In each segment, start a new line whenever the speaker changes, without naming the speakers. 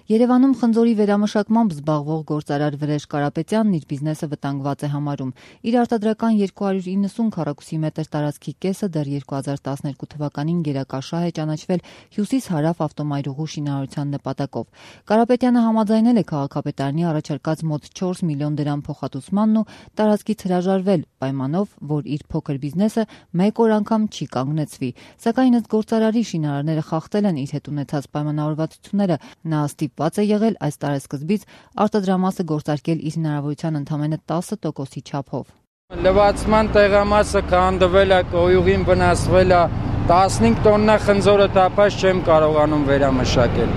Երևանում խնձորի վերամշակմամբ զբաղվող գործարար Վրեժ Կարապետյանն իր բիզնեսը վտանգված է համարում։ Իր արտադրական 290 քառակուսի մետր տարածքի կեսը դեռ 2012 թվականին գերակաշահ է ճանաչվել հյուսիս-հարավ ավտոմայրուղու շինարարության նպատակով։ Կարապետյանը համաձայնել է քաղաքապետարանի առաջարկած մոտ 4 միլիոն դրամ փոխհատուցմանն ու տարածքից հրաժարվել, պայմանով, որ իր փոքր բիզնեսը մեկ օր անգամ չի կանգնեցվի։ Սակայն ըստ գործարարի շինարարները խախտել են իր հետ ունեցած պայմանավորվածությունները։ Նա ստիպված է եղել այս տարեսկզբից արտադրամասը գործարկել իր հնարավորության ընդամենը 10%-ի չափով։
Լվացման տեղամասը քանդվել է, կոյուղին վնասվել է, 15 տոննա խնձորը տապած չեմ կարողանում վերամշակել։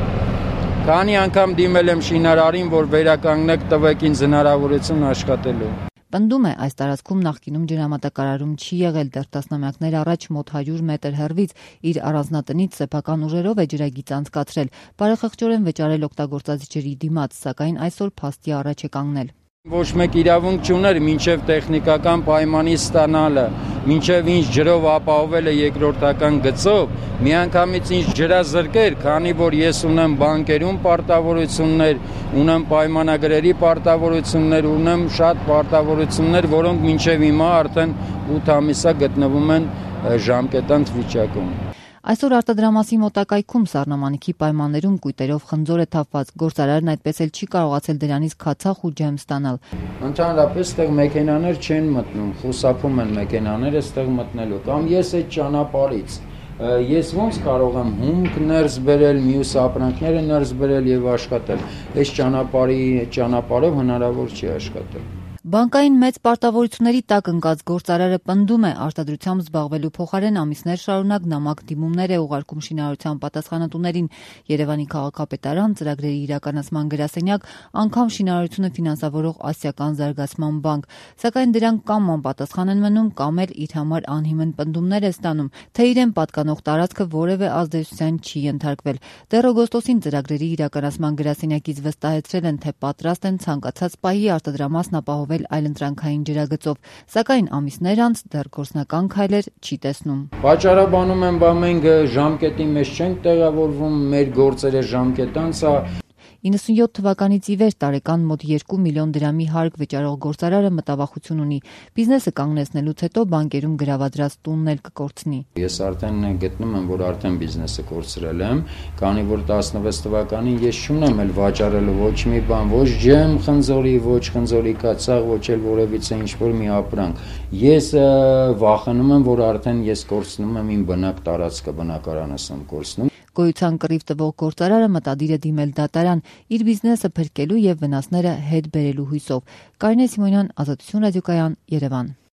Քանի անգամ դիմել եմ շինարարին, որ վերականգնեք, տվեք ինձ հնարավորություն աշխատելու։
Պնդում է, այս տարածքում նախկինում ջրամատակարարում չի եղել, դեռ տասնամյակներ առաջ մոտ 100 մետր հեռվից իր առանձնատնից սեփական ուժերով է ջրագիծ անցկացրել, բարեխղճորեն վճարել օգտագործած ջրի դիմաց, սակայն այսօր փաստի առաջ է կանգնել։
Ոչ մեկ իրավունք չուներ մինչև տեխնիկական պայմանի ստանալը, մինչև ինչ ջրով ապահովել է երկրորդական գծով, միանգամից ինչ ջրազրկեր, քանի որ ես ունեմ բանկերում պարտավորություններ, ունեմ պայմանագրերի պարտավորություններ, ունեմ շատ պարտավորություններ, որոնք մինչև հիմա արդեն 8 ամիսա գտնվում են ժամկետանց վիճակում։
Այսօր արտադրամասի մոտակայքում սառնամանիքի պայմաններում կույտերով խնձոր է թափված, գործարարն այդպես էլ չի կարողացել դրանից քացախ ու ջեմ ստանալ։
Ընդհանրապես այդտեղ մեքենաներ չեն մտնում, խուսափում են մեքենաները այդտեղ մտնելու, կամ ես այդ ճանապարհից ես ոնց կարող եմ հումք ներս բերել, մյուս ապրանքները ներս բերել եւ աշխատել։ Այս ճանապարհով հնարավոր չի աշխատել։
Բանկային մեծ պարտավորությունների տակ ընկած գործարարը պնդում է, արտադրությամբ զբաղվելու փոխարեն ամիսներ շարունակ նամակ դիմումներ է ուղարկում շինարարության պատասխանատուներին։ Երևանի քաղաքապետարան, ծրագրերի իրականացման գրասենյակ, անգամ շինարարությունը ֆինանսավորող Ասիական զարգացման բանկ, սակայն դրանք կամ անպատասխան են մնում, կամ էլ իր համար անհիմն պնդումներ է ստանում, թե իրեն պատկանող տարածքը որևէ ազդեցության չի ենթարկվել։ Դեռ օգոստոսին ծրագրերի իրականացման գրասենյակից վստահեցրել են, թե պատրաստ են ցանկացած պահի արտադրամասն ապահովել այլընտրանքային ջրագծով, սակայն ամիսներ անց դեռ գործնական քայլեր չի տեսնում։
Վաճառաբանում են, մենք ժամկետի մեջ չենք տեղավորվում, մեր գործերը ժամկետ անց է։
97 թվականից ի վեր տարեկան մոտ 2 միլիոն դրամի հարկ վճարող գործարարը մտավախություն ունի։ Բիզնեսը կանգնեցնելուց հետո բանկերում գրավադրած տունն էլ կկորցնի։
Ես արդեն գտնում եմ, որ արդեն բիզնեսը կորցրել եմ, քանի որ 16 թվականին ես չունեմ էլ վաճառելու ոչ մի բան, ոչ ջեմ խնձորի, ոչ խնձորի կացաղ, ոչ էլ որևիցե ինչ-որ մի ապրանք։ Ես վախենում եմ, որ արդեն ես կորցնում եմ իմ բնակ տարածքը, բնակարանս եմ կորցնում։
Գոյության կռիվ տվող գործարարը մտադիր է դիմել դատարան իր բիզնեսը փրկելու եւ վնասները հետ բերելու հույսով։ Կարինե Սիմոնյան, Ազատություն ռադիոկայան, Երևան։